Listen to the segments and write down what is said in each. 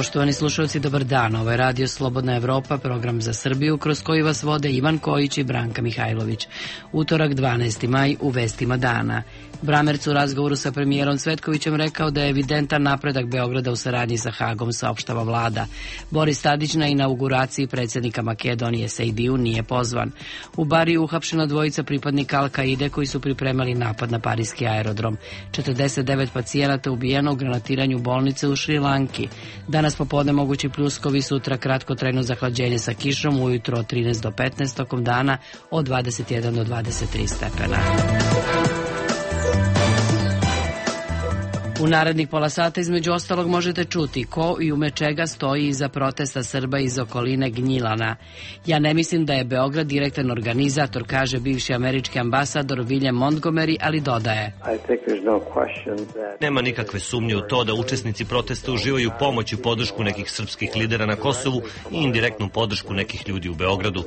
Poštovani slušalci, dobar dan. Ovo je Radio Slobodna Evropa, program za Srbiju, kroz koji vas vode Ivan Kojić i Branka Mihajlović. Utorak, 12. maj, u vestima dana. Bramerc u razgovoru sa premijerom Cvetkovićem rekao da je evidentan napredak Beograda u saradnji sa Hagom, saopštava vlada. Boris Tadić na inauguraciji predsjednika Makedonije Sejdiju nije pozvan. U Bariju uhapšena dvojica pripadnika Al-Kaide koji su pripremali napad na parijski aerodrom. 49 pacijenata ubijeno u granatiranju bolnice u Šrilanki. Danas popodne mogući pljuskovi, sutra kratkotrajno zahlađenje sa kišom, ujutro od 13 do 15, tokom dana od 21 do 23 stepena. U narednih pola sata između ostalog možete čuti ko i ume čega stoji iza protesta Srba iz okoline Gnjilana. Ja ne mislim da je Beograd direktan organizator, kaže bivši američki ambasador William Montgomery, ali dodaje: Nema nikakve sumnje u to da učesnici protesta uživaju pomoć i podršku nekih srpskih lidera na Kosovu i indirektnu podršku nekih ljudi u Beogradu.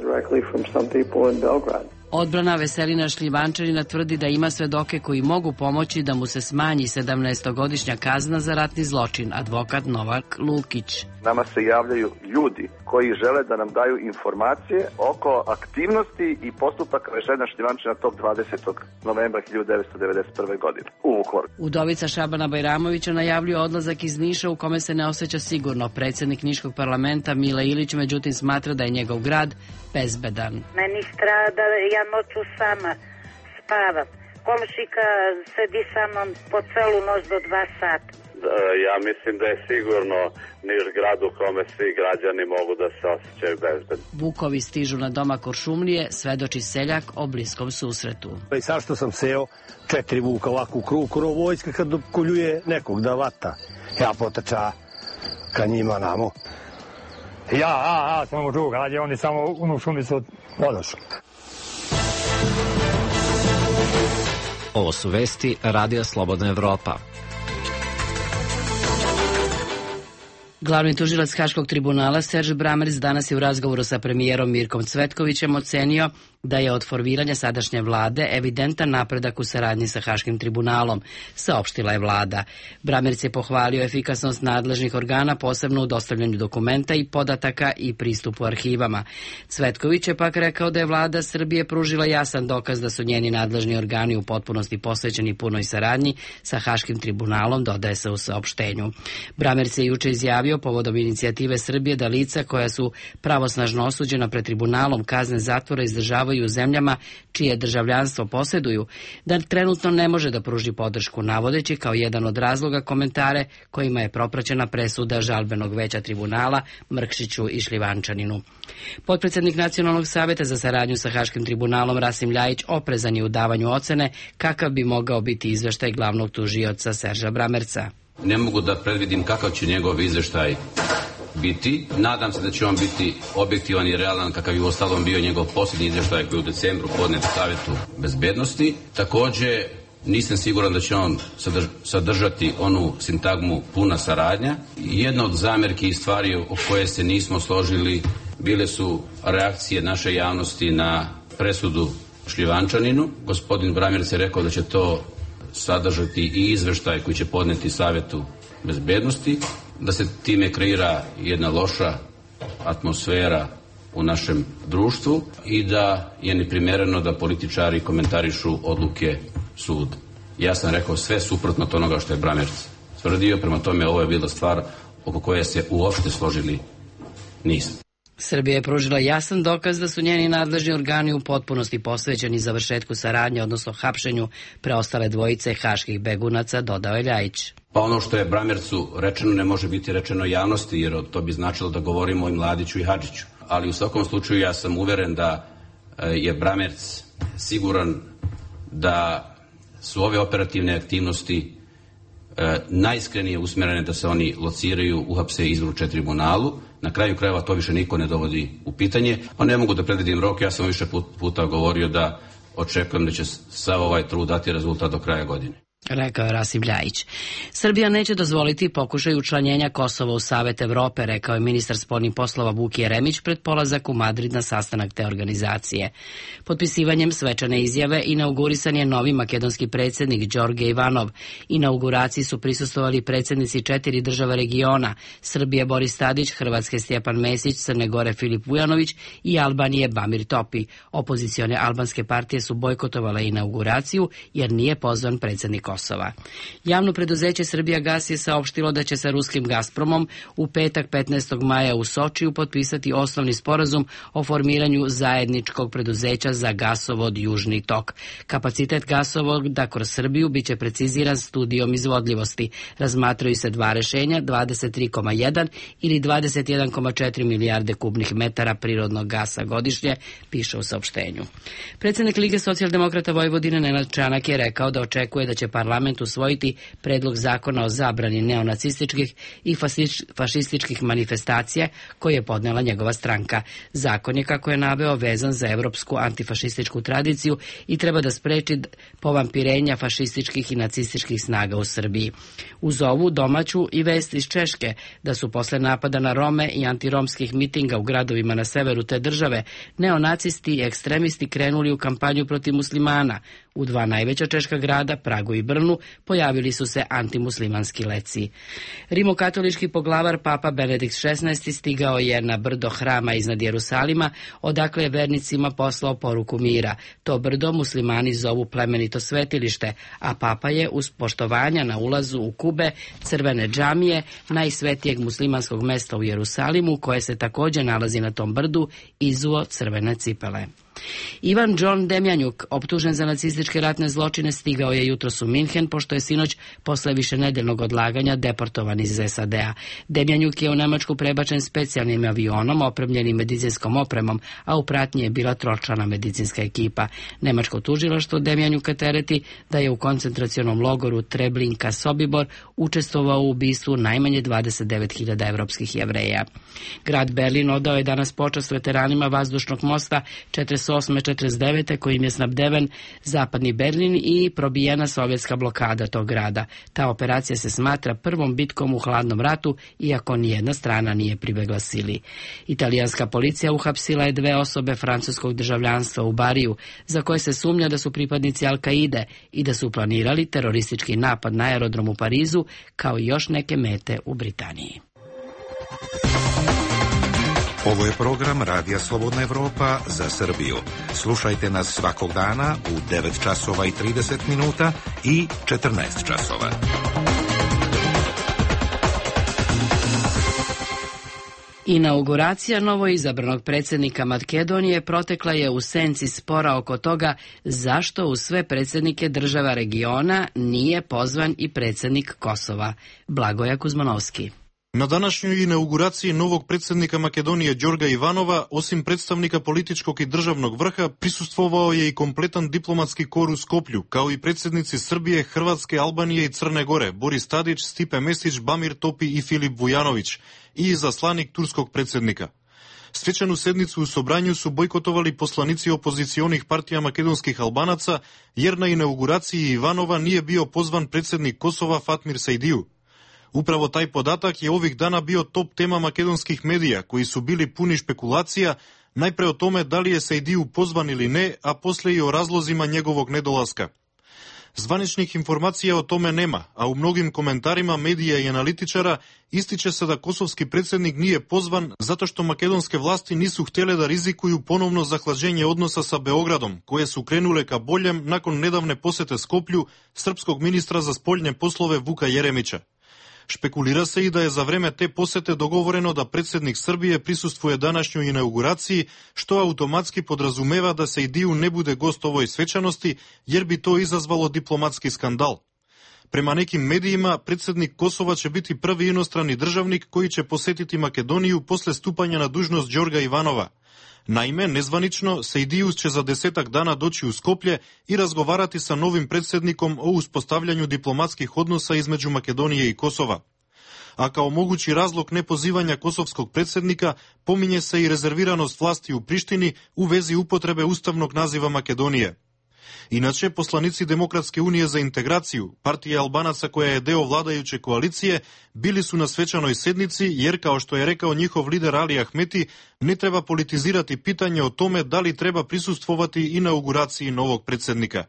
Odbrana Veselina Šljivančanina tvrdi da ima svedoke koji mogu pomoći da mu se smanji 17-godišnja kazna za ratni zločin, advokat Novak Lukić. Nama se javljaju ljudi koji žele da nam daju informacije oko aktivnosti i postupaka Veselina Šljivančanina tog 20. novembra 1991. godine u Vukovaru. Udovica Šabana Bajramovića najavljuje odlazak iz Niša u kome se ne osjeća sigurno. Predsjednik Niškog parlamenta Mile Ilić međutim smatra da je njegov grad bezbedan. Meni strada, ja noću sama spavam. Komšika sedi sa mnom po celu noć do 2 sata. Ja mislim da je sigurno Niš grad u kome svi građani mogu da se osjećaju bezbedno. Vukovi stižu na doma Kuršumlije, svedoči seljak o bliskom susretu. I sad što sam seo 4 vuka ovako u krug, vojska kad koljuje nekog da vata. Ja potrča ka njima namo. Ja samo druga, ali oni samo u šumi su odošli. Ovo su vesti Radija Slobodna Evropa. Glavni tužilac Haškog tribunala Serge Bramerc danas je u razgovoru sa premijerom Mirkom Cvetkovićem ocenio da je od formiranja sadašnje vlade evidentan napredak u saradnji sa Haškim tribunalom, saopštila je vlada. Bramerc je pohvalio efikasnost nadležnih organa, posebno u dostavljanju dokumenta i podataka i pristupu arhivama. Cvetković je pak rekao da je vlada Srbije pružila jasan dokaz da su njeni nadležni organi u potpunosti posvećeni punoj saradnji sa Haškim tribunalom, dodaje se u saopštenju. Bramerc je juče izjavio povodom inicijative Srbije da lica koja su pravosnažno osuđena pred tribunalom kazne zatvora izdržavaju u zemljama čije državljanstvo posjeduju, da trenutno ne može da pruži podršku, navodeći kao jedan od razloga komentare kojima je propraćena presuda žalbenog veća tribunala Mrkšiću i Šljivančaninu. Potpredsjednik Nacionalnog saveta za saradnju sa Haškim tribunalom Rasim Ljajić oprezan je u davanju ocene kakav bi mogao biti izveštaj glavnog tužioca Serža Bramerca. Ne mogu da predvidim kakav će njegov izveštaj biti. Nadam se da će on biti objektivan i realan kakav je u ostalom bio njegov posljednji izveštaj koji je u decembru podnet Savetu bezbednosti. Takođe, nisam siguran da će on sadržati onu sintagmu puna saradnja. Jedna od zamerki i stvari o koje se nismo složili bile su reakcije naše javnosti na presudu Šljivančaninu. Gospodin Bramerc je rekao da će to sadržati i izveštaj koji će podneti Savetu bezbednosti, da se time kreira jedna loša atmosfera u našem društvu i da je neprimereno da političari komentarišu odluke suda. Ja sam rekao sve suprotno od onoga što je Bramerc tvrdio, prema tome ovo je bila stvar oko koje se uopšte složili nismo. Srbija je pružila jasan dokaz da su njeni nadležni organi u potpunosti posvećeni završetku saradnje, odnosno hapšenju preostale dvojice haških begunaca, dodao je Ljajić. Pa ono što je Bramercu rečeno ne može biti rečeno javnosti, jer to bi značilo da govorimo i Mladiću i Hadžiću. Ali u svakom slučaju ja sam uveren da je Bramerc siguran da su ove operativne aktivnosti najiskrenije usmjerene da se oni lociraju, uhapse i izruče tribunalu. Na kraju krajeva to više niko ne dovodi u pitanje. Pa ne mogu da predvidim rok, ja sam više puta govorio da očekujem da će sav ovaj trud dati rezultat do kraja godine. rekao je Rasim Ljajić. Srbija neće dozvoliti pokušaj učlanjenja Kosova u Savet Evrope, rekao je ministar spoljnih poslova Vuk Jeremić pred polazak u Madrid na sastanak te organizacije. Potpisivanjem svečane izjave inaugurisan je novi makedonski predsjednik Đorđe Ivanov. Inauguraciji su prisustvovali predsjednici 4 država regiona: Srbije Boris Tadić, Hrvatske Stjepan Mesić, Crne Gore Filip Vujanović i Albanije Bamir Topi. Opozicione albanske partije su bojkotovale inauguraciju jer nije pozvan predsjednik Kosova. Javno preduzeće Srbija Gas je saopštilo da će sa ruskim Gazpromom u petak 15. maja u Sočiju potpisati osnovni sporazum o formiranju zajedničkog preduzeća za gasovod Južni tok. Kapacitet gasovoda kroz Srbiju biće preciziran studijom izvodljivosti. Razmatraju se dva rešenja, 23,1 ili 21,4 milijarde kubnih metara prirodnog gasa godišnje, piše u saopštenju. Predsjednik Lige socijaldemokrata Vojvodine Nenad Čanak je rekao da očekuje da će parlament usvojiti predlog zakona o zabrani neonacističkih i fašističkih manifestacija koje je podnela njegova stranka. Zakon je, kako je naveo, vezan za evropsku antifašističku tradiciju i treba da spreči povampirenja fašističkih i nacističkih snaga u Srbiji. Uz ovu domaću i vest iz Češke da su posle napada na Rome i antiromskih mitinga u gradovima na severu te države neonacisti i ekstremisti krenuli u kampanju protiv muslimana. U dva najveća češka grada, Pragu i Brnu, pojavili su se antimuslimanski leci. Rimokatolički poglavar Papa Benedikt XVI stigao je na brdo hrama iznad Jerusalima, odakle je vernicima poslao poruku mira. To brdo muslimani zovu plemenito svetilište, a Papa je uz poštovanja na ulazu u kube crvene džamije, najsvetijeg muslimanskog mesta u Jerusalimu, koje se također nalazi na tom brdu, izuo crvene cipele. Ivan John Demjanjuk, optužen za nacističke ratne zločine, stigao je jutros u Minhen, pošto je sinoć posle višenedeljnog odlaganja deportovan iz SAD-a. Demjanjuk je u Nemačku prebačen specijalnim avionom opremljenim medicinskom opremom, a u pratnji je bila tročlana medicinska ekipa. Nemačko tužilaštvo Demjanjuka tereti da je u koncentracionom logoru Treblinka Sobibor učestvovao u ubistvu najmanje 29.000 evropskih Jevreja. Grad Berlin odao je danas počast veteranima vazdušnog mosta 48-49. kojim je snabdeven zapadni Berlin i probijena sovjetska blokada tog grada. Ta operacija se smatra prvom bitkom u hladnom ratu, iako nijedna strana nije pribegla sili. Italijanska policija uhapsila je 2 osobe francuskog državljanstva u Bariju, za koje se sumnja da su pripadnici Al-Kaide i da su planirali teroristički napad na aerodrom u Parizu, kao i još neke mete u Britaniji. Ovo je program Radija Slobodna Evropa za Srbiju. Slušajte nas svakog dana u 9 časova i 30 minuta i 14 časova. Inauguracija novoizabranog predsjednika Makedonije protekla je u senci spora oko toga zašto u sve predsjednike država regiona nije pozvan i predsjednik Kosova. Blagoja Kuzmanovski. Na današnjoj inauguraciji novog predsjednika Makedonije Đorđa Ivanova, osim predstavnika političkog i državnog vrha, prisustvovao je i kompletan diplomatski kor u Skoplju, kao i predsjednici Srbije, Hrvatske, Albanije i Crne Gore, Boris Tadić, Stipe Mesić, Bamir Topi i Filip Vujanović, i izaslanik turskog predsjednika. Svečanu sednicu u Sobranju su bojkotovali poslanici opozicionih partija makedonskih Albanaca, jer na inauguraciji Ivanova nije bio pozvan predsjednik Kosova Fatmir Sejdiju. Upravo taj podatak je ovih dana bio top tema makedonskih medija, koji su bili puni špekulacija, najpre o tome da li je Sejdiju pozvan ili ne, a posle i o razlozima njegovog nedolaska. Zvaničnih informacija o tome nema, a u mnogim komentarima medija i analitičara ističe se da kosovski predsjednik nije pozvan zato što makedonske vlasti nisu htjele da rizikuju ponovno zahlađenje odnosa sa Beogradom, koje su krenule ka boljem nakon nedavne posete Skoplju srpskog ministra za spoljne poslove Vuka Jeremića. Špekulira se i da je za vreme te posete dogovoreno da predsjednik Srbije prisustvuje današnjoj inauguraciji, što automatski podrazumeva da Sejdiju ne bude gost ovoj svečanosti, jer bi to izazvalo diplomatski skandal. Prema nekim medijima, predsjednik Kosova će biti prvi inostrani državnik koji će posetiti Makedoniju posle stupanja na dužnost Đorđa Ivanova. Naime, nezvanično, Sejdijus će za 10 dana doći u Skoplje i razgovarati sa novim predsjednikom o uspostavljanju diplomatskih odnosa između Makedonije i Kosova. A kao mogući razlog nepozivanja kosovskog predsjednika pominje se i rezerviranost vlasti u Prištini u vezi upotrebe ustavnog naziva Makedonije. Иначе, посланици Демократske unije za integraciju, partija Albanaca koja je deo vladajuće koalicije, bili su na svečanoj sednici jer, kao što je rekao njihov lider Ali Ahmeti, ne treba politizirati pitanje o tome da li treba prisustvovati inauguraciji novog predsjednika.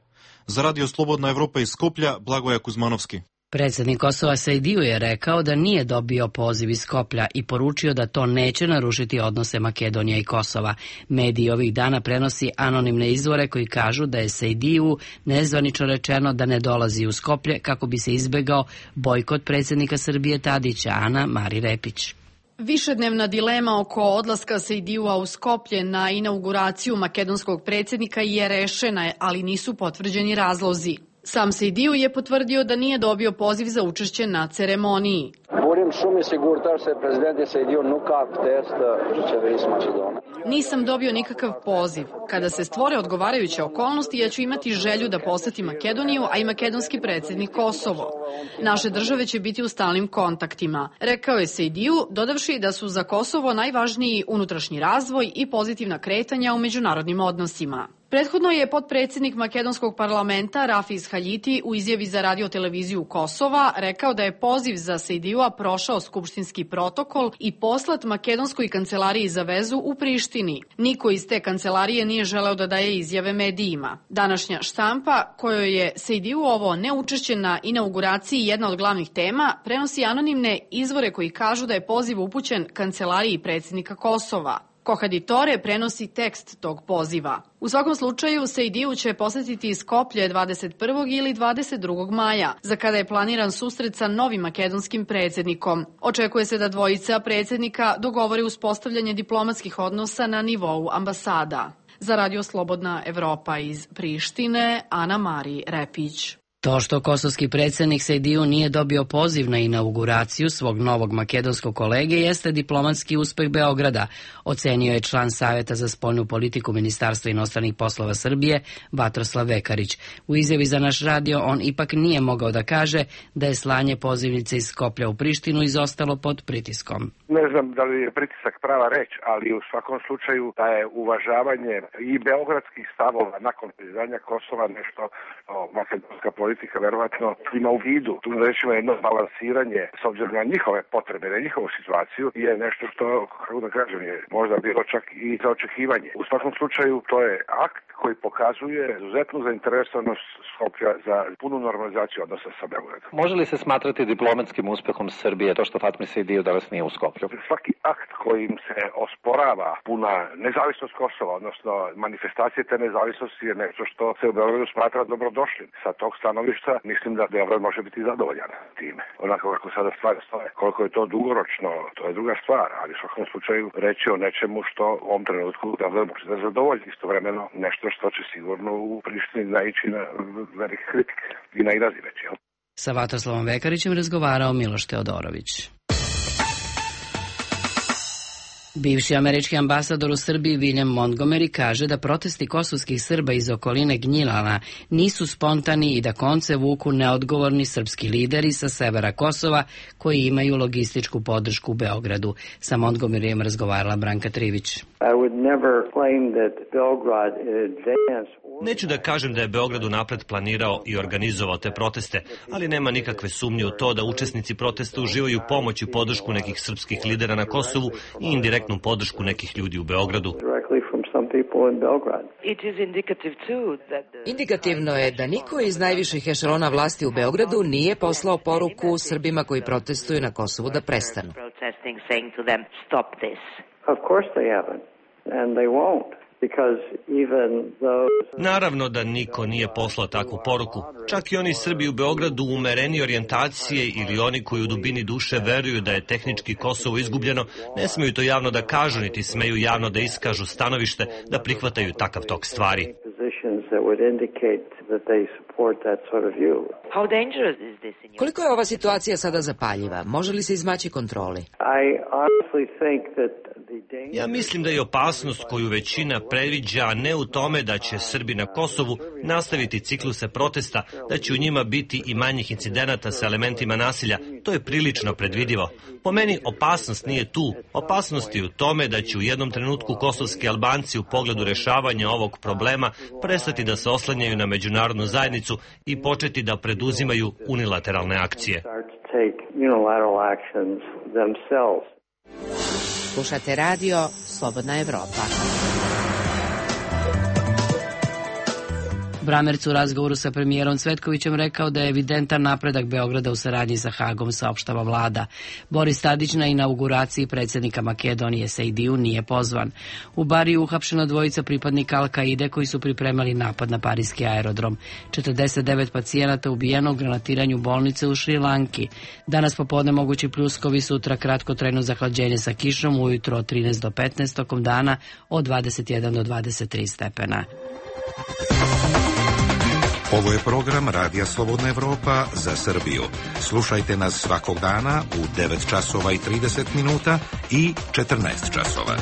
Za Radio Slobodna Evropa iz Skoplja, Blagoja Kuzmanovski. Predsjednik Kosova Sejdiju je rekao da nije dobio poziv iz Skoplja i poručio da to neće narušiti odnose Makedonije i Kosova. Mediji ovih dana prenosi anonimne izvore koji kažu da je Sejdiju nezvanično rečeno da ne dolazi u Skoplje kako bi se izbegao bojkot predsjednika Srbije Tadića, Ana Mari Repić. Višednevna dilema oko odlaska Sejdijua u Skoplje na inauguraciju makedonskog predsjednika je rešena, ali nisu potvrđeni razlozi. Sam Sejdiju je potvrdio da nije dobio poziv za učešće na ceremoniji. Nisam dobio nikakav poziv. Kada se stvore odgovarajuće okolnosti, ja ću imati želju da posetim Makedoniju, a i makedonski predsjednik Kosovo. Naše države će biti u stalnim kontaktima, rekao je Sejdiju, dodavši da su za Kosovo najvažniji unutrašnji razvoj i pozitivna kretanja u međunarodnim odnosima. Prethodno je potpredsjednik makedonskog parlamenta Rafiz Haljiti u izjavi za radioteleviziju Kosova rekao da je poziv za Sejdijua prošao skupštinski protokol i poslat makedonskoj kancelariji za vezu u Prištini. Niko iz te kancelarije nije želeo da daje izjave medijima. Današnja štampa, kojoj je Sejdijuovo neučešće na inauguraciji jedna od glavnih tema, prenosi anonimne izvore koji kažu da je poziv upućen kancelariji predsjednika Kosova. Kohaditore prenosi tekst tog poziva. U svakom slučaju, Sejdiju će posetiti Skoplje 21. ili 22. maja, za kada je planiran susret sa novim makedonskim predsjednikom. Očekuje se da dvojica predsjednika dogovore uspostavljanje diplomatskih odnosa na nivou ambasada. Za Radio Slobodna Evropa iz Prištine, Ana Mari Repić. To što kosovski predsjednik Sejdiju nije dobio poziv na inauguraciju svog novog makedonskog kolege jeste diplomatski uspeh Beograda, ocenio je član Savjeta za spoljnu politiku Ministarstva inostranih poslova Srbije, Vatroslav Vekarić. U izjavi za naš radio on ipak nije mogao da kaže da je slanje pozivnice iz Skoplja u Prištinu izostalo pod pritiskom. Ne znam da li je pritisak prava reč, ali u svakom slučaju da je uvažavanje i beogradskih stavova nakon priznanja Kosova nešto makedonska politika verovatno ima u vidu. Tu rećemo jedno balansiranje s obzirom na njihove potrebe, na njihovu situaciju je nešto što, kako da kažem, je možda bilo čak i za očekivanje. U svakom slučaju to je akt koji pokazuje izuzetnu zainteresovanost Skoplja za punu normalizaciju odnosa sa Beogradom. Može li se smatrati diplomatskim uspehom Srbije to što Fatmir Sejdiju danas nije u Skoplju? Svaki akt kojim se osporava puna nezavisnost Kosova, odnosno manifestacije te nezavisnosti je nešto što se u Beogradu smatra dobrodošlim. Sa tog stanovišta mislim da Beograd može biti zadovoljan time. Onako kako sada stvari stoje. Koliko je to dugoročno, to je druga stvar, ali u svakom slučaju reći o nečemu što u ovom trenutku Beograd može da zadovolji. Istovremeno nešto što će sigurno u Prištini naići na velike kritike i nailaziveće. Sa Vatroslavom Vekarićem razgovarao Miloš Teodorović. Bivši američki ambasador u Srbiji William Montgomery kaže da protesti kosovskih Srba iz okoline Gnjilana nisu spontani i da konce vuku neodgovorni srpski lideri sa severa Kosova koji imaju logističku podršku u Beogradu. Sa Montgomeryjem razgovarala Branka Trivić. Neću da kažem da je Beograd unapred planirao i organizovao te proteste, ali nema nikakve sumnje u to da učesnici protesta uživaju pomoć i podršku nekih srpskih lidera na Kosovu i indirektnu podršku nekih ljudi u Beogradu. Indikativno je da niko iz najviših ešelona vlasti u Beogradu nije poslao poruku Srbima koji protestuju na Kosovu da prestanu. Naravno da niko nije poslao takvu poruku. Čak i oni Srbi u Beogradu umereni orijentacije ili oni koji u dubini duše veruju da je tehnički Kosovo izgubljeno, ne smeju to javno da kažu, niti smeju javno da iskažu stanovište da prihvataju takav tok stvari. Koliko je ova situacija sada zapaljiva? Može li se izmaći kontroli? Ja mislim da je opasnost koju većina predviđa ne u tome da će Srbi na Kosovu nastaviti cikluse protesta, da će u njima biti i manjih incidenata sa elementima nasilja. To je prilično predvidivo. Po meni opasnost nije tu. Opasnost je u tome da će u jednom trenutku kosovski Albanci u pogledu rešavanja ovog problema prestati da se oslanjaju na međunarodnu zajednicu i početi da preduzimaju unilateralne akcije. Slušate radio Slobodna Evropa. Bramerc u razgovoru sa premijerom Cvetkovićem rekao da je evidentan napredak Beograda u saradnji sa Hagom, saopštava vlada. Boris Tadić na inauguraciji predsjednika Makedonije Sejdiju nije pozvan. U Bariju uhapšena dvojica pripadnika Al-Kaide koji su pripremali napad na parijski aerodrom. 49 pacijenata ubijeno u granatiranju bolnice u Šrilanki. Danas popodne mogući pljuskovi, sutra kratkotrajno zahlađenje sa kišom, ujutro od 13 do 15, tokom dana od 21 do 23 stepena. Ovo je program Radija Slobodna Evropa za Srbiju. Slušajte nas svakog dana u 9 časova i 30 minuta i 14 časova.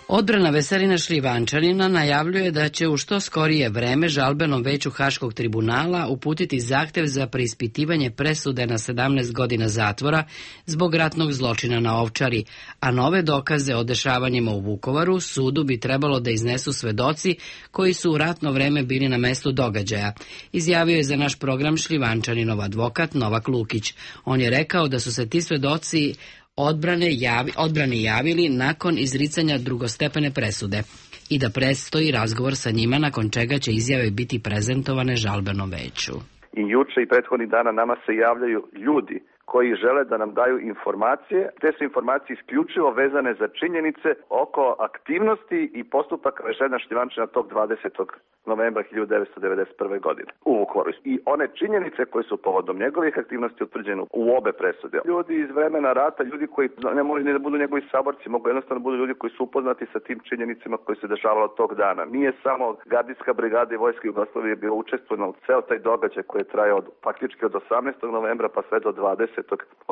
Odbrana Veselina Šljivančanina najavljuje da će u što skorije vreme žalbenom veću Haškog tribunala uputiti zahtev za preispitivanje presude na 17 godina zatvora zbog ratnog zločina na Ovčari, a nove dokaze o dešavanjima u Vukovaru sudu bi trebalo da iznesu svedoci koji su u ratno vreme bili na mestu događaja. Izjavio je za naš program Šljivančaninov advokat Novak Lukić. On je rekao da su se ti svedoci odbrani javili nakon izricanja drugostepene presude i da predstoji razgovor sa njima, nakon čega će izjave biti prezentovane žalbenom veću. I juče i prethodnih dana nama se javljaju ljudi koji žele da nam daju informacije. Te su informacije isključivo vezane za činjenice oko aktivnosti i postupaka Veselina Šljivančanina tog 20. novembra 1991. godine u Vukovaru. I one činjenice koje su povodom njegovih aktivnosti utvrđene u obe presude. Ljudi iz vremena rata, ljudi koji ne moraju ni da budu njegovi saborci, mogu jednostavno budu ljudi koji su upoznati sa tim činjenicama koji se dešavalo tog dana. Nije samo gardijska brigada i vojska Jugoslavije bila učestvovana u ceo taj događaj koji je trajao faktički od 18. novembra pa sve do 20.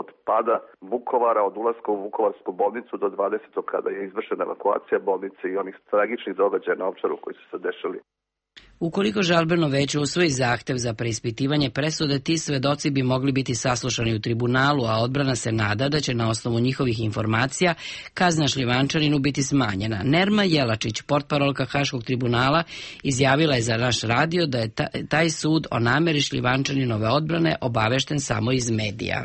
od pada Vukovara, od ulaska u Vukovarsku bolnicu do 20. kada je izvršena evakuacija bolnice i onih tragičnih događaja na Ovčaru koji su se dešali. Ukoliko žalbeno veće usvoji zahtev za preispitivanje presude, ti svedoci bi mogli biti saslušani u tribunalu, a odbrana se nada da će na osnovu njihovih informacija kazna Šljivančaninu biti smanjena. Nerma Jelačić, portparolka Haškog tribunala, izjavila je za naš radio da je taj sud o nameri Šljivančaninove odbrane obavešten samo iz medija.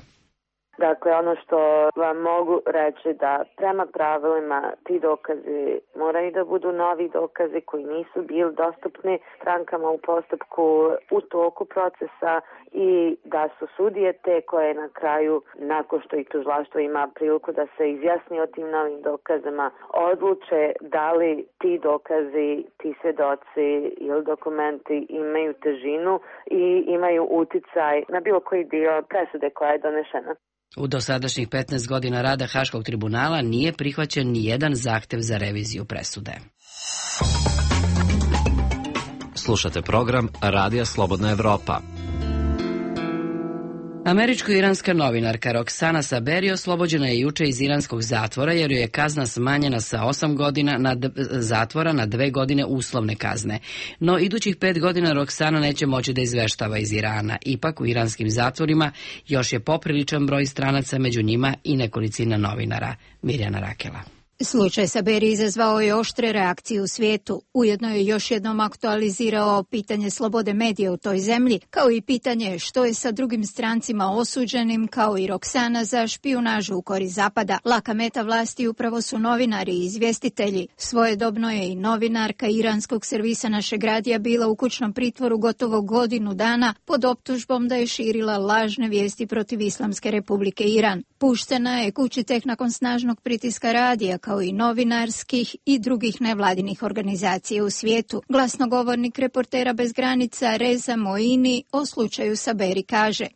Dakle, ono što vam mogu reći da prema pravilima ti dokazi moraju da budu novi dokazi koji nisu bili dostupni strankama u postupku u toku procesa i da su sudije te koje na kraju, nakon što i tužilaštvo ima priliku da se izjasni o tim novim dokazima, odluče da li ti dokazi, ti svedoci ili dokumenti imaju težinu i imaju uticaj na bilo koji dio presude koja je donešena. U dosadašnjih 15 godina rada Haškog tribunala nije prihvaćen ni jedan zahtev za reviziju presude. Slušate program Radija Slobodna Evropa. Američko-iranska novinarka Roksana Saberi oslobođena je juče iz iranskog zatvora jer joj je kazna smanjena sa 8 godina zatvora na 2 godine uslovne kazne. No idućih 5 godina Roksana neće moći da izveštava iz Irana. Ipak u iranskim zatvorima još je popriličan broj stranaca, među njima i nekolicina novinara. Mirjana Rakela. Slučaj Saberi izazvao je oštre reakcije u svijetu. Ujedno je još jednom aktualizirao pitanje slobode medija u toj zemlji, kao i pitanje što je sa drugim strancima osuđenim, kao i Roksana za špijunažu u korist Zapada. Laka meta vlasti upravo su novinari i izvjestitelji. Svojedobno je i novinarka iranskog servisa Našeg radija bila u kućnom pritvoru gotovo godinu dana pod optužbom da je širila lažne vijesti protiv Islamske republike Iran. Puštena je kući tek nakon snažnog pritiska radija, kao i novinarskih i drugih nevladinih organizacija u svijetu. Glasnogovornik Reportera bez granica Reza Moini o slučaju Saberi kaže: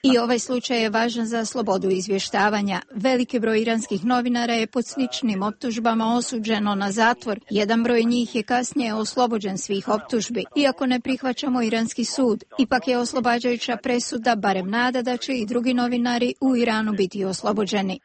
I ovaj slučaj je važan za slobodu izvještavanja. Veliki broj iranskih novinara je pod sličnim optužbama osuđeno na zatvor. Jedan broj njih je kasnije oslobođen svih optužbi. Iako ne prihvaćamo iranski sud, ipak je oslobađajuća presuda barem nada da će i drugi novinari u Iranu biti oslobođeni.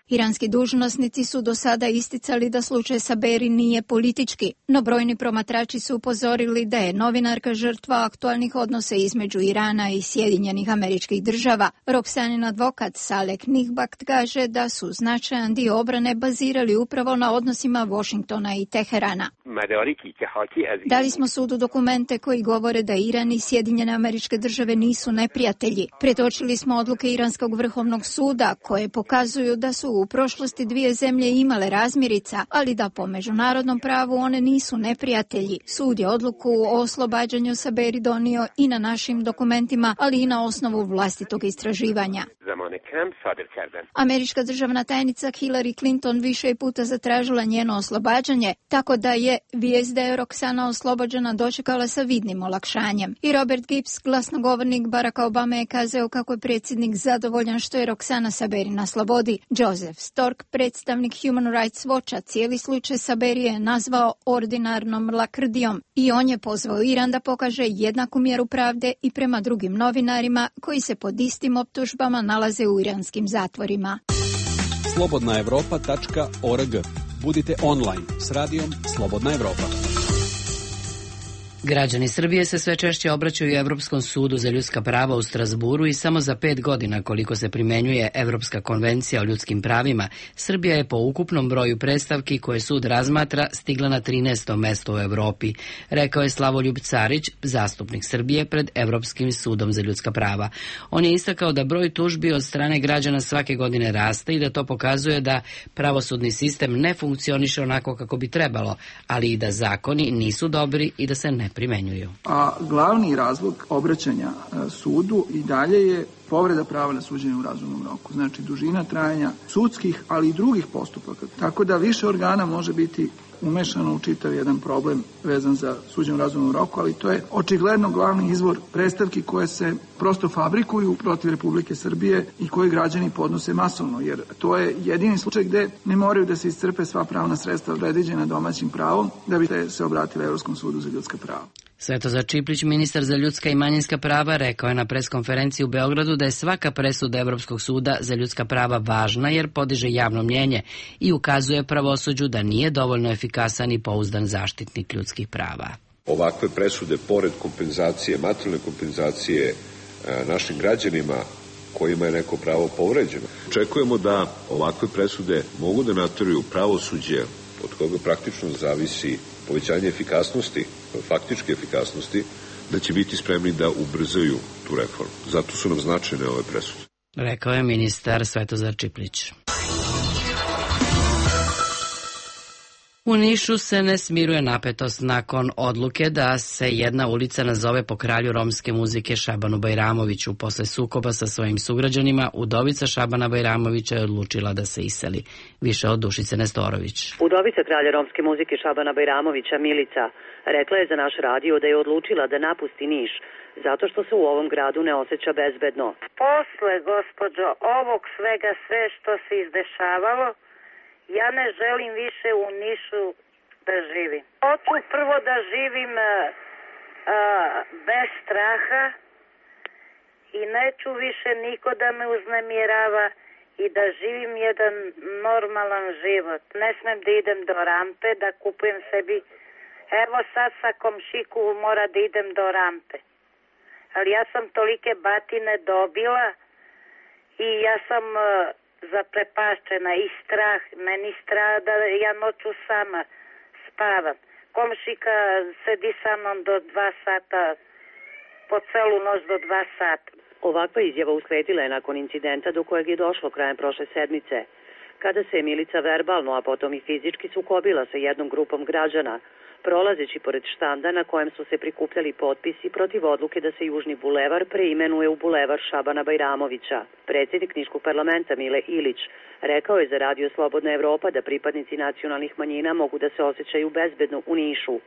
Iranski dužnosnici su do sada isticali da slučaj Saberi nije politički, no brojni promatrači su upozorili da je novinarka žrtva aktualnih odnosa između Irana i Sjedinjenih Američkih Država. Roxanin advokat Saleh Nihbakt kaže da su značajan dio obrane bazirali upravo na odnosima Washingtona i Teherana. Dali smo sudu dokumente koji govore da Iran i Sjedinjene Američke Države nisu neprijatelji. Pretočili smo odluke Iranskog vrhovnog suda koje pokazuju da su u prošlosti dvije zemlje imale razmirica, ali da po međunarodnom pravu one nisu neprijatelji. Sud je odluku o oslobađanju Saberi donio i na našim dokumentima, ali i na osnovu vlastitog istraživanja. Američka državna tajnica Hillary Clinton više je puta zatražila njeno oslobađanje, tako da je vijest da je Roxana oslobođena dočekala sa vidnim olakšanjem. I Robert Gibbs, glasnogovornik Baracka Obame, je kazao kako je predsjednik zadovoljan što je Roxana Saberi na slobodi. Joseph Stork, predstavnik Human Rights Watcha, cijeli slučaj Saberi je nazvao ordinarnom lakrdijom i on je pozvao Iran da pokaže jednaku mjeru pravde i prema drugim novinarima koji se pod istim optužbama nalaze u iranskim zatvorima. slobodnaevropa.org. Budite online s radijom Slobodna Evropa. Građani Srbije se sve češće obraćaju Evropskom sudu za ljudska prava u Strasburu i samo za 5 godina koliko se primjenjuje Evropska konvencija o ljudskim pravima, Srbija je po ukupnom broju predstavki koje sud razmatra stigla na 13. mesto u Evropi, rekao je Slavoljub Carić, zastupnik Srbije pred Evropskim sudom za ljudska prava. On je istakao da broj tužbi od strane građana svake godine raste i da to pokazuje da pravosudni sistem ne funkcioniše onako kako bi trebalo, ali i da zakoni nisu dobri i da se ne primenjuju. A glavni razlog obraćanja sudu i dalje je povreda prava na suđenje u razumnom roku. Znači dužina trajanja sudskih, ali i drugih postupaka. Tako da više organa može biti umešano u čitav jedan problem vezan za suđenje u razumnom roku, ali to je očigledno glavni izvor predstavki koje se prosto fabrikuju protiv Republike Srbije i koje građani podnose masovno, jer to je jedini slučaj gde ne moraju da se iscrpe sva pravna sredstva predviđena domaćim pravom da bi se obratili Evropskom sudu za ljudska prava. Svetozar Čiplić, ministar za ljudska i manjinska prava, rekao je na preskonferenciji u Beogradu da je svaka presuda Evropskog suda za ljudska prava važna jer podiže javno mnjenje i ukazuje pravosuđu da nije dovoljno efikasan i pouzdan zaštitnik ljudskih prava. Ovakve presude, pored kompenzacije, materijalne kompenzacije našim građanima kojima je neko pravo povređeno, očekujemo da ovakve presude mogu da nateraju pravosuđe od koga praktično zavisi povećanje efikasnosti, faktičke efikasnosti, da će biti spremni da ubrzaju tu reformu. Zato su nam značajne ove presude. Rekao je ministar Svetozar Čiplić. U Nišu se ne smiruje napetost nakon odluke da se jedna ulica nazove po kralju romske muzike Šabanu Bajramoviću. Posle sukoba sa svojim sugrađanima, udovica Šabana Bajramovića je odlučila da se iseli. Više od Dušice Nestorović. Udovica kralja romske muzike Šabana Bajramovića, Milica, rekla je za naš radio da je odlučila da napusti Niš, zato što se u ovom gradu ne osjeća bezbedno. Posle, gospođo, ovog svega sve što se izdešavalo, ja ne želim više u Nišu da živim. Hoću prvo da živim bez straha i neću više niko da me uznemirava i da živim jedan normalan život. Ne smem da idem do rampe, da kupujem sebi. Evo sad sa komšiku mora da idem do rampe. Ali ja sam tolike batine dobila i ja sam zaprepašćena i strah, meni strah da ja noću sama spavam. Komšika sedi sa mnom do 2 sata, po celu noć do 2 sata. Ovakva izjava usledila je nakon incidenta do kojeg je došlo krajem prošle sedmice, kada se je Milica verbalno, a potom i fizički sukobila sa jednom grupom građana, prolazeći pored štanda na kojem su se prikupljali potpisi protiv odluke da se Južni bulevar preimenuje u bulevar Šabana Bajramovića. Predsjednik Niškog parlamenta Mile Ilić rekao je za Radio Slobodna Evropa da pripadnici nacionalnih manjina mogu da se osjećaju bezbedno u Nišu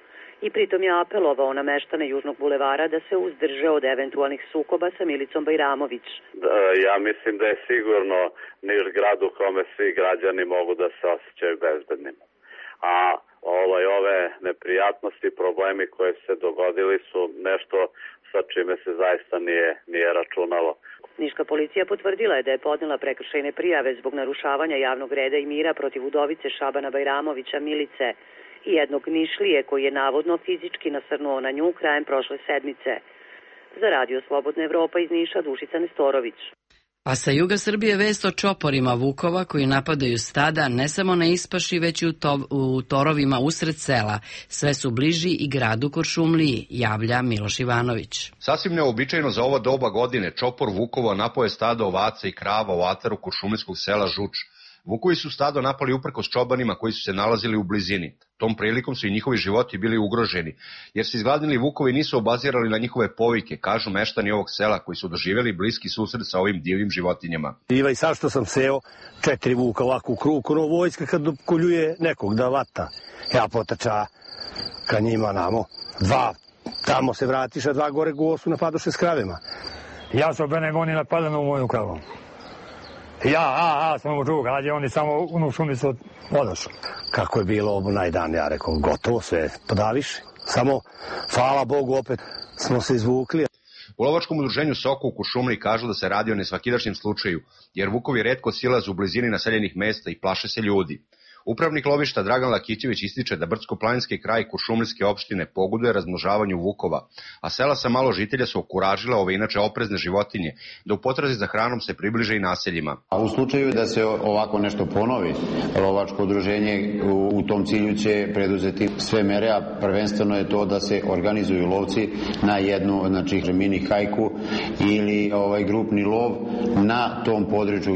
i pritom je apelovao na meštane Južnog bulevara da se uzdrže od eventualnih sukoba sa Milicom Bajramović. Ja mislim da je sigurno Niš grad u kome svi građani mogu da se osjećaju bezbednim. A ove neprijatnosti, problemi koje se dogodili su nešto sa čime se zaista nije računalo. Niška policija potvrdila je da je podnela prekršajne prijave zbog narušavanja javnog reda i mira protiv udovice Šabana Bajramovića Milice i jednog Nišlije koji je navodno fizički nasrnuo na nju krajem prošle sedmice. Za Radio Slobodna Evropa iz Niša Dušica Nestorović. A sa juga Srbije vest o čoporima vukova koji napadaju stada ne samo na ispaši, već i u torovima usred sela. Sve su bliži i gradu Kuršumliji, javlja Miloš Ivanović. Sasvim neobičajno za ovo doba godine čopor vukova napao je stado ovaca i krava u ataru kuršumlijskog sela Žuč. Vukovi su stado napali uprkos čobanima koji su se nalazili u blizini. Tom prilikom su i njihovi životi bili ugroženi, jer se izgladnili vukovi nisu obazirali na njihove povike, kažu meštani ovog sela koji su doživjeli bliski susret sa ovim divljim životinjama. I sad što sam seo, 4 vuka ovako u krug, ono vojska kad koljuje nekog da vata. Ja potača ka njima namo, 2 tamo se vratiš, a 2 gore gosu napadoše s kravima. Ja se obenem, oni napadaju u moju kravu. Ja sam u drug, ali oni samo u šumicu odošli. Kako je bilo onaj dan, ja rekao, gotovo sve, podaviš. Samo, hvala Bogu, opet smo se izvukli. U lovačkom udruženju Soko u Kuršumliji kažu da se radi o nesvakidašnjem slučaju, jer vukovi retko silaze u blizini naseljenih mesta i plaše se ljudi. Upravnik lovišta Dragan Lakićević ističe da brdsko-planinski kraj Kuršumlijske opštine pogoduje razmnožavanju vukova, a sela sa malo žitelja su okuražile ove inače oprezne životinje, da u potrazi za hranom se približe i naseljima. A u slučaju da se ovako nešto ponovi, lovačko udruženje u tom cilju će preduzeti sve mere, a prvenstveno je to da se organizuju lovci na jednu, mini hajku ili grupni lov na tom području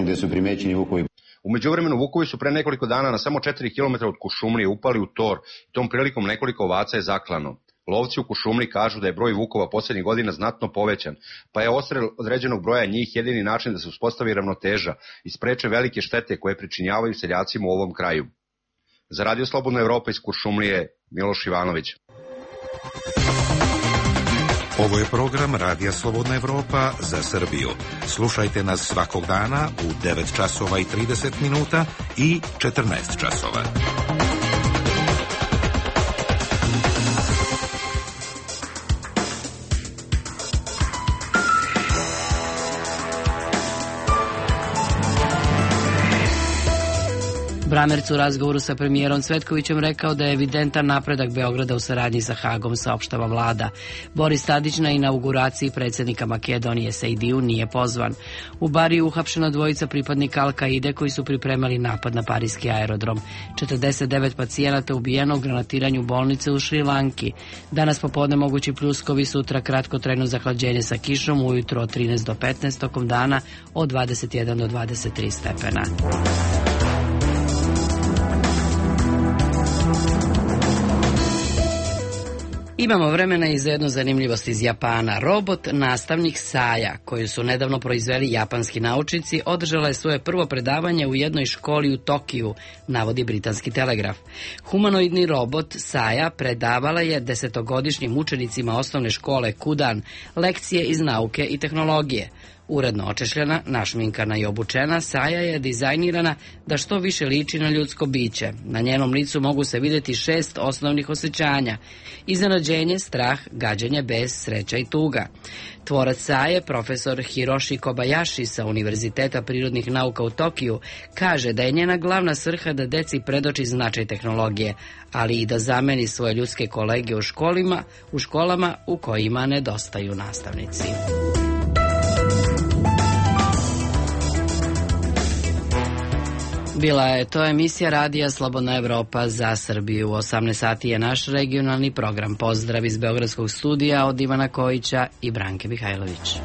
gde su primećeni vukovi. U međuvremenu vukovi su pre nekoliko dana na samo 4 km od Kuršumlije upali u tor i tom prilikom nekoliko ovaca je zaklano. Lovci u Kuršumliji kažu da je broj vukova poslednjih godina znatno povećan, pa je odstrel određenog broja njih jedini način da se uspostavi ravnoteža i spreče velike štete koje pričinjavaju seljacima u ovom kraju. Za Radio Slobodna Evropa iz Kuršumlije, Miloš Ivanović. Ovo je program Radija Slobodna Evropa za Srbiju. Slušajte nas svakog dana u 9 časova i 30 minuta i 14 časova. Bramerc u razgovoru sa premijerom Cvetkovićem rekao da je evidentan napredak Beograda u saradnji sa Hagom, saopštava vlada. Boris Tadić na inauguraciji predsjednika Makedonije Sejdiju nije pozvan. U Bariju uhapšena dvojica pripadnika Al-Kaide koji su pripremali napad na parijski aerodrom. 49 pacijenata ubijeno u granatiranju bolnice u Šrilanki. Danas popodne mogući pljuskovi, sutra kratkotrajno zahlađenje sa kišom, ujutro od 13 do 15, tokom dana od 21 do 23 stepena. Imamo vremena i za jednu zanimljivost iz Japana. Robot nastavnik Saja, koju su nedavno proizveli japanski naučnici, održala je svoje prvo predavanje u jednoj školi u Tokiju, navodi britanski Telegraf. Humanoidni robot Saja predavala je 10-godišnjim učenicima osnovne škole Kudan lekcije iz nauke i tehnologije. Uredno očešljena, našminkana i obučena, Saja je dizajnirana da što više liči na ljudsko biće. Na njenom licu mogu se vidjeti 6 osnovnih osjećanja: iznenađenje, strah, gađenje, bes, sreća i tuga. Tvorac Saje, profesor Hiroshi Kobayashi sa Univerziteta prirodnih nauka u Tokiju, kaže da je njena glavna svrha da deci predoči značaj tehnologije, ali i da zameni svoje ljudske kolege u školama u kojima nedostaju nastavnici. Bila je to emisija Radija Slobodna Evropa za Srbiju. U 18 sati je naš regionalni program. Pozdrav iz Beogradskog studija od Ivana Kojića i Branke Mihajlović.